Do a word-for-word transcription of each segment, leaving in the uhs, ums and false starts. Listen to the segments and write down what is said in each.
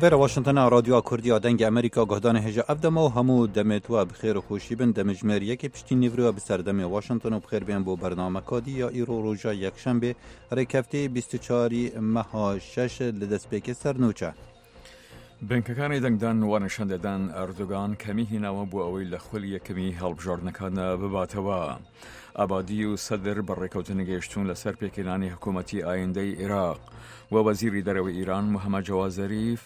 ڤێرە واشنتنا رادیۆ کوردیا دەنگی ئەمریکا گۆهدانە هێژە ئەف دەمە و هەموو دەمێت وە بخێر و خۆشی بن دەمژمێر یەکی پشتی نیڤروە بسەردەمێ واشنتن و بخێر بێن بۆ بەرنامەکادی یا ئیرۆ ڕۆژە یەکشەنبێ ڕێکەفتی بیست و چوار مەها شەش لە دەستپێکی سەرنوچە. بنکەکانی دەنگدان وا نیشان دەدەن ئەردۆگان کەمی هیناوە بۆ ئەوەی لە خولی یەکەمی هەڵبژاردنەکاندا بباتەوە. ئابادی و سەدر بە ڕێکەوتن گەیشتوون لەسەر پێکهێنانی حکوومەتی ئایندەی عێراق و وەزیری دەرەوەی ئیران محەممەد جەواد زەریف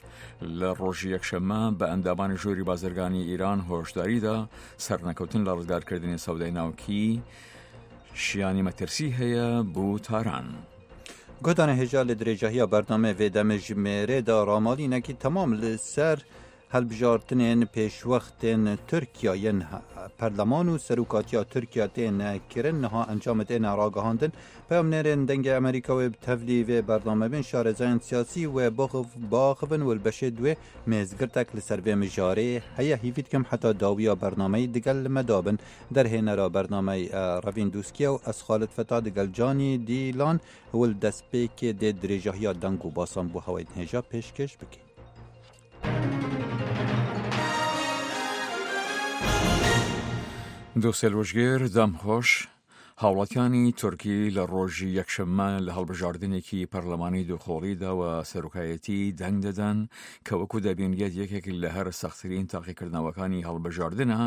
لە ڕۆژی یەکشەممە بە ئەندامانی ژووری بازرگانی ئیران هۆشداریدا سەرنەکەوتن لە ڕزگارکردنی سەودای ناوکی شیانی مەترسی هەیە بۆ تاران. گۆدانە هێژا لە درێژەهیا بەرنامە vê demejimêrê da ramalînekî temam li ser hilbijartinên pêşwextên Tirkiya yên perleman û serokatiya Tirkiya têne kirin niha encamê têne ragihandin. Peyamnêrên Dengê Amerîka wê bi tevlî vê bername bin şarezayên siyasî wê baxivin û li beşê duê mêzgirtek li ser vê mijarê heye hîvî dikim heta dawiya bernameyê digel li me dabin. Derhênera bernameyê Revîn Dûskiye û ez Xalid Feta digel Canî Dîlan û li destpêkê dê dirêjahiya deng û basan bû hewayên hêja pêşkêş bikîn. دۆسێ ڕۆژگێر دەمخۆش هاوڵاتیانی تورکی لە ڕۆژی یەکشەممە لە هەڵبژاردنێکی پەرلەمانی دووخۆڵیدا و سەرۆکایەتی دەنگ دەدەن کە وەکو دەبینرێت یەکێک لە هەر سەختترین تاقیکردنەوەکانی هەڵبژاردنە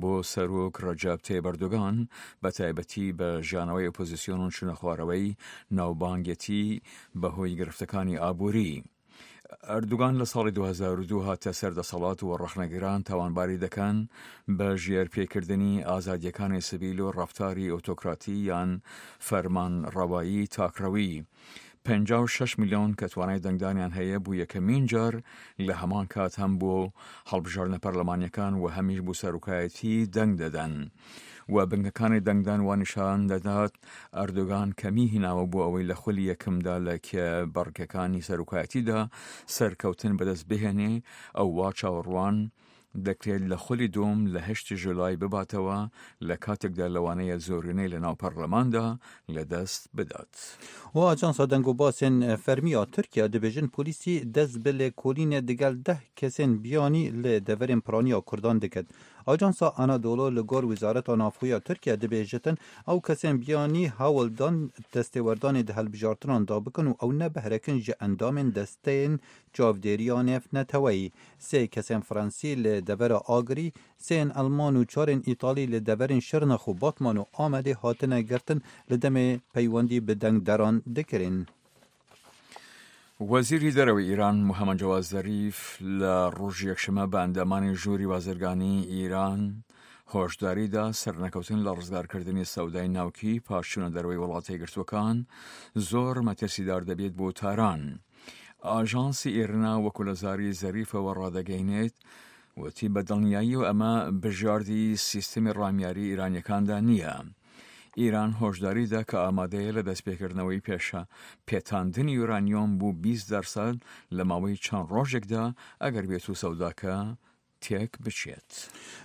بۆ سەرۆک ڕەجەب تەیب ئەردۆگان بە تایبەتی بە ژیانەوەی ئۆپۆزیسیۆن و چوونە خوارەوەی ناوبانگێتی بەهۆی گرفتەکانی ئابووری. ئەردوگان لە ساڵی دوو هەزار و دوو هاتە سەر دەسەڵات و ڕەخنەگران تاوانباری دەکەن بە ژێرپێکردنی ئازادیەکانی سبیل و ڕەفتاری ئۆتۆکراتی یان فەرمانڕەوایی تاکڕەوی. پەنجا و شەش میلیۆن کە توانای دەنگدانیان هەیە بوو یەکەمین جار لە هەمان کات هەم بۆ هەڵبژاردنە پەرلەمانیەکان و هەمیش بۆ سەرۆکایەتی دەنگ دەدەن. و بنکەکانی دەنگدان وا نیشان دەدات ئەردۆگان کەمی هیناوە بۆ ئەوەی لە خولی یەکەمدا لە کێبڕکەکانی سەرۆکایەتیدا سەرکەوتن بەدەست بهێنێ، ئەو وا چاوەڕوان دەکرێت لە خولی دوم لە هەشتی ژولای بباتەوە لە کاتێکدا لەوانەیە زۆرینەی لە ناو پەرلەماندا لەدەست بدات. و ئاژانسا دەنگ و باسên فەرمیya Tirkiye dibêjin polîsî dest bi lêkolînê digel deh kesên biyanî li deverên piraniya Kurdan diket. Ajansa Anadolu li gor Wezareta Navxweya Tirkiye dibêjitin ew kesên biyanî hewl dan destêwerdanê di hilbijartinan da bikin û ew nebeherekin ji endamên desteyên çavdêriya nêvneteweyî. Sê kesên Fransî li devera Agirî, sêyên Elman û çarên Îtalî li deverên Şirnex û Batman û Amedê hatine girtin li demê peywendî bi dengderan dikirin. وەزیری دەرەوەی ئیران محەممەد جەواد زەریف لە ڕۆژی یەکشەممە بە ئەندامانی ژووری بازرگانی ئیران هۆشداریدا سەرنەکەوتن لە ڕزگارکردنی سەودای ناوکی پاش چوونە دەرەوەی وڵاتە یەکگرتووەکان زۆر مەترسیدار دەبێت بۆ تاران. ئاژانسی ئێرنا وەکو لە زاری زەریفەوە ڕادەگەینێت وتی بە دڵنیایی و ئەمە بژاردی سیستمی ڕامیاری ئیرانیەکاندا نییە. ئیران هۆشداریدا کە ئامادەیە لە دەستپێکردنەوەی پێشە پێتاندنی یورانیۆم بوو بیست دەرسەد لە ماوەی چەند ڕۆژێکدا ئەگەر بێت و سەوداکە تێک بچێت.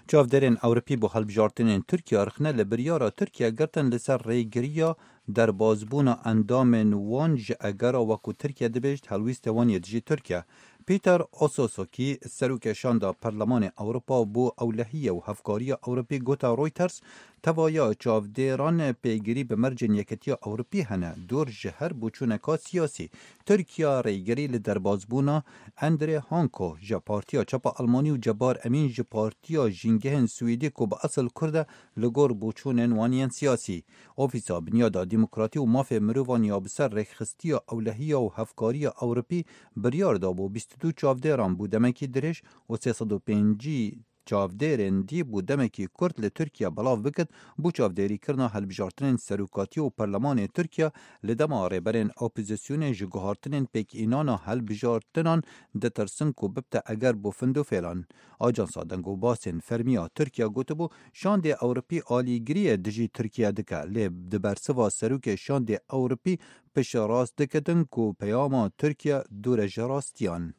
چاودێرên Ewropî بۆ hilbijartinên Tirkiye rixne li biryara Tirkiye girtin li ser rêgiriya derbazbûna endamên wan ji egera wekû Tirkiye dibêjit helwîstê wan yê dijî Tirkiye. Peter Ososokî serokê şanda Perlemanê Ewropa bo ewlehiye û hevkariya Ewropî gota Reuters tevaya çavdêran pêgirî bi mercên Yekîtiya Ewropî hene dûr ji her boçûneka siyasî. Tirkiye rêgirî li derbazbûna André Hanko ji Partiya Çepa Almanî û Cebar Emîn ji Partiya Jîngehên Swêdî ku bi esil Kurd e li gor boçûnên wan yên siyasî. Ofîsa Binyada Demokratî û Mafê Mirovan ya bi ser rêkxistiya ewlehiya û hevkariya Ewropî biryar dabû bîst û du çavdêran bû demekî dirêj û sê sed û pêncî çavdêrên dî bû demekî kurt li Tirkiye belav biket bû çavdêrîkirina hilbijartinên serokatî û perlemanê Tirkiye li dema rêberên opozisyonê ji guhartinên pêkînana hilbijartinan ditirsin ku bibte eger bû find û fêlan. Ajansa deng û basên fermiya Tirkiye gotibû şandê Ewropî alîgiriyê dijî Tirkiye dike lê di bersiva serokê şandê Ewropî piştrast dikitin ku peyama Tirkiye dûr e ji rastiyan.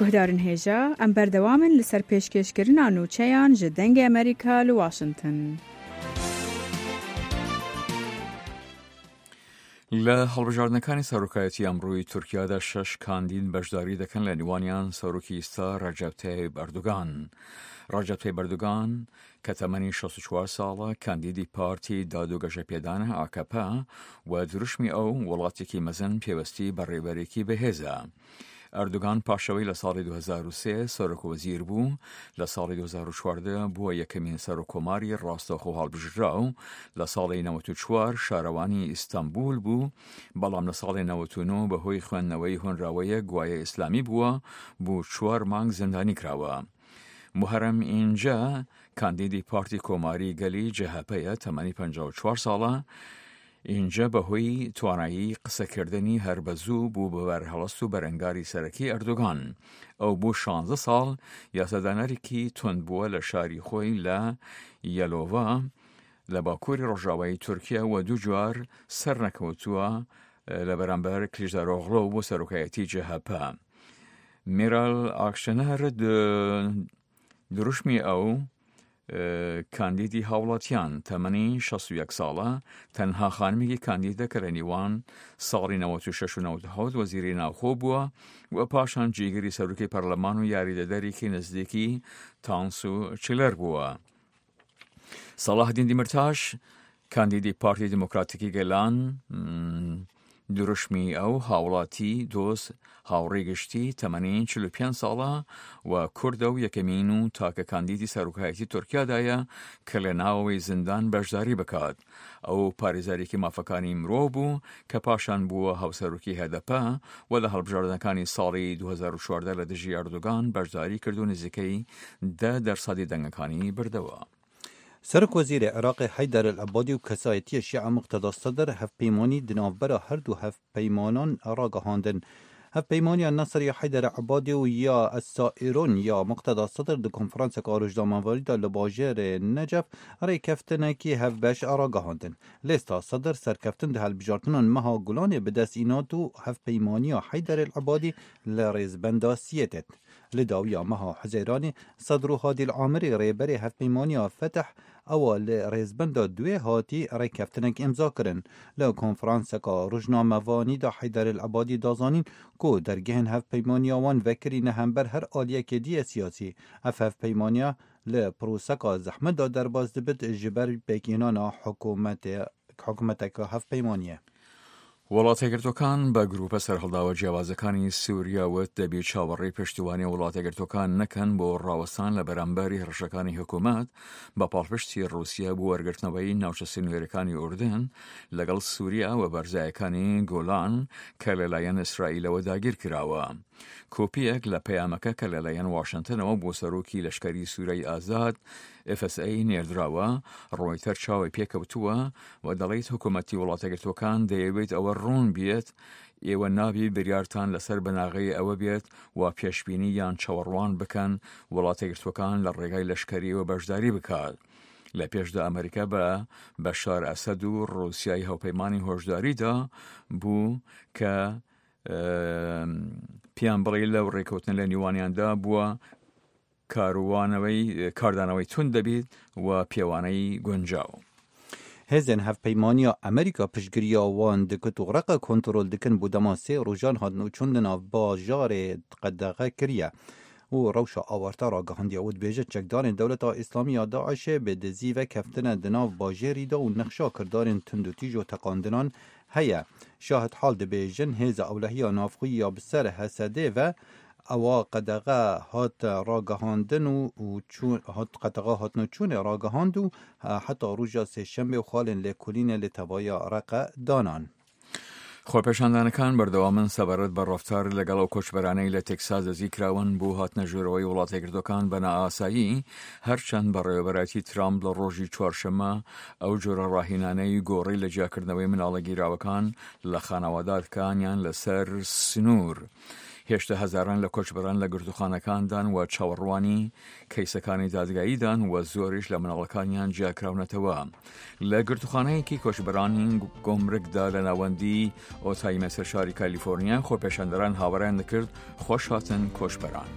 Guhdarên hêja, em berdewam in li ser pêşkêşkirina nûçeyan ji Dengê Amerîka li Washington. لە هەڵبژاردنەکانی سەرۆکایەتی ئەمڕۆی تورکیادا شەش کاندید بەشداری دەکەن، لە نێوانیان سەرۆکی ئیستا ڕەجەب تەیب ئەردۆگان. ڕەجەب تەیب ئەردۆگان کە تەمەنی شەست و چوار ساڵە، کاندیدی پارتی داد و گەشەپێدانە ئاکەپە و دروشمی ئەو وڵاتێکی مەزن پێوەستی بە ڕێبەرێکی بەهێزە. ئەردۆگان پاشەوەی لە ساڵی دوو هەزار و سێ سەرۆک وەزیر بوو، لە ساڵی دوو هەزار و چواردە بووە یەکەمین سەرۆک کۆماری ڕاستەوخۆ هەڵبژراو، لە ساڵی نەوەت و چوار شارەوانی ئیستانبول بوو، بەڵام لە ساڵی نەوەت و نۆ بەهۆی خوێندنەوەی هۆنراوەیەک گوایە ئیسلامی بووە، بۆ چوار مانگ زیندانی کراوە. موحەرەم ئینجە کاندیدی پارتی کۆماری گەلی جەهەپەیە، تەمەنی پەنجا و چوار ساڵە. ئینجە بەهۆی توانایی قسەکردنی هەر بە زوو بوو بە بەرهەڵست و بەرەنگاری سەرەکی ئەردۆگان. ئەو بۆ شانزە ساڵ یاسادانەرێکی توند بووە لە شاری خۆی لە یەلۆڤا لە باکووری ڕۆژاوای تورکیا و دوو جار سەرنەکەوتووە لە بەرامبەر کلیچدارۆغڵۆ بۆ سەرۆکایەتی جەهەپە. میرال ئاکشەنەر دروشمی ئەو کاندیدی هاوڵاتیان، تەمەنی شەست و یەک ساڵە، تەنها خانمێکی کاندیدە کە لە نێوان ساڵی نەوەت و شەش و نەوەت و حەوت وەزیری ناوخۆ بووە و پاشان جێگری سەرۆکی پەرلەمان و یاریدەدەرێکی نزیکی تانسو چیلەر بووە. سەڵاحەدین دیمرتاش کاندیدی پارتی دیموکراتیکی گەلان، دروشمی ئەو هاوڵاتی دۆست هاوڕێی گشتی، تەمەنی چل و پێنج ساڵە و کوردە و یەکەمین و تاکە کاندیدی سەرۆکایەتی تورکیادایە کە لە ناوەوەی زیندان بەشداری بکات. ئەو پارێزەرێکی مافەکانی مرۆڤ بوو کە پاشان بووە هاوسەرۆکی هەدەپە و لە هەڵبژاردنەکانی ساڵی دوو هەزار و چواردە لە دژی ئەردۆگان بەشداری کرد و نزیکەی دە دەرسەدی دەنگەکانی بردەوە. سەرۆک وەزیرê Iraqê Heyder el-Ebadî û kesayetiya Şîa Muqteda Sedr hevpeymanî di navbera her du hevpeymanan ragihandin. Hevpeymaniya Nesr ya Heyder Ebadî û ya Es-Saîron ya Muqteda Sedr di konferanseke rojnamevanî de li bajarê Necef rêkeftinekî hevbeş ragihandin. Lêsta Sedr serkeftin di hilbijartinan meha Gulanê bi dest înat û hevpeymaniya Heyder el-Ebadî li rêzbenda siyê tê. Li dawiya meha Hezêranê Sedr û Hadî el-Amirî rêberê hevpeymaniya Fetih ewa li rêzbenda duê hatî rêkeftinek îmza kirin. Li konferanseka rojnamevanî de Heyder el-Ebadî da zanîn ku dergehên hevpeymaniya wan vekirîne hember her aliyekê dî siyasî. Ev hevpeymaniya li proseka zehmet de derbas dibit ji ber pêkînana hikûmetê hikûmeteke hevpeymaniyê. وڵاتەگرتوەکان بە گروپە سەرهەڵداوە جیاوازەکانی سووریا وت دەبێت چاوەڕێی پشتیوانی وڵاتەگرتوەکان نەکەن بۆ ڕاوەستان لە بەرامبەری هەڕەشەکانی حکوومەت بە پاڵپشتی ڕووسیا بۆ وەرگرتنەوەی ناوچە سنوورەکانی ئوردن لەگەڵ سووریا و بەرزایەکانی گۆلان کە لەلایەن ئیسرائیلەوە داگیر کراوە. کۆپیەک لە پەیامەکە کە لەلایەن واشنگتنەوە بۆ سەرۆکی لەشکری سووریای ئازاد ئف ئس ئەی نێردراوە، ڕۆیتەر چاوی پێکەوتووە و دەڵێت حکوومەتی وڵاتەگرتوەکان دەیەوێت ئەوە ڕوون بێت ئێوە نابی بریارتان لەسەر بناغەی ئەوە بێت و پێشبینی یان چاوەڕوان بکەن وڵاتەگرتوەکان لە ڕێگای لەشکریەوە بەشداری بکات. لە پێشدا ئەمریکا بە بەشار ئەسەد و ڕووسیای هاوپەیمانی هۆشداریدا بوو کە پیان بڵێ لەو ڕێکەوتن لە نیوانیاندا بووە کاروانەوەی کاردانەوەی تون دەبێت و پێوانەی گونجاو. هێزên hevpeymaniya Amerîka piştgiriya wan dikit û reqa kontrol dikin bû dema sê rojan hatin û çûn di nav bajarê qedexe kiriye û rewşa awarte ragihandiye û dibêje çekdarên Dewleta Îslamî ya Daişê bi dizî ve keftine di nav bajêrî de û nexşa kirdarên tundûtîj û teqandinan heye. Şahid hal dibêjin hêza ewlehiya navxweyî ya bi ser Hesedê ve ewa qedexe hat ragihandin û hat qedexe hatin û çûnê ragihand û heta roja sêşembê û xalên lêkolînê li tevaya reqe danan. خۆپێشاندانەکان بەردەوامن سەبارەت بە ڕەفتار لەگەڵ ئەو کۆچبەرانەی لە تێکساس دەستگیرکراون بۆ هاتنە ژوورەوەی وڵاتەگرتوەکان بە نائاسایی، هەرچەند بەڕێوەبەرایەتی ترامپ لە ڕۆژی چوارشەممە ئەو جۆرە ڕاهێنانەی گۆڕی لە جیاکردنەوەی مناڵە گیراوەکان لە خانەوادەکانیان لەسەر سنوور. هێشتا هەزاران لە کۆچبەران لە گرتوخانەکاندان و چاوەڕوانی کەیسەکانی دادگاییدان و زۆریش لە مناڵەکانیان جیاکراونەتەوە. لە گرتوخانەیەکی کۆچبەرانی گۆمرکدا لە ناوەندی ئۆتایمە سەر شاری کالیفۆرنیا خۆپێشاندەران هاوڕیان دەکرد خۆش هاتن کۆچبەران.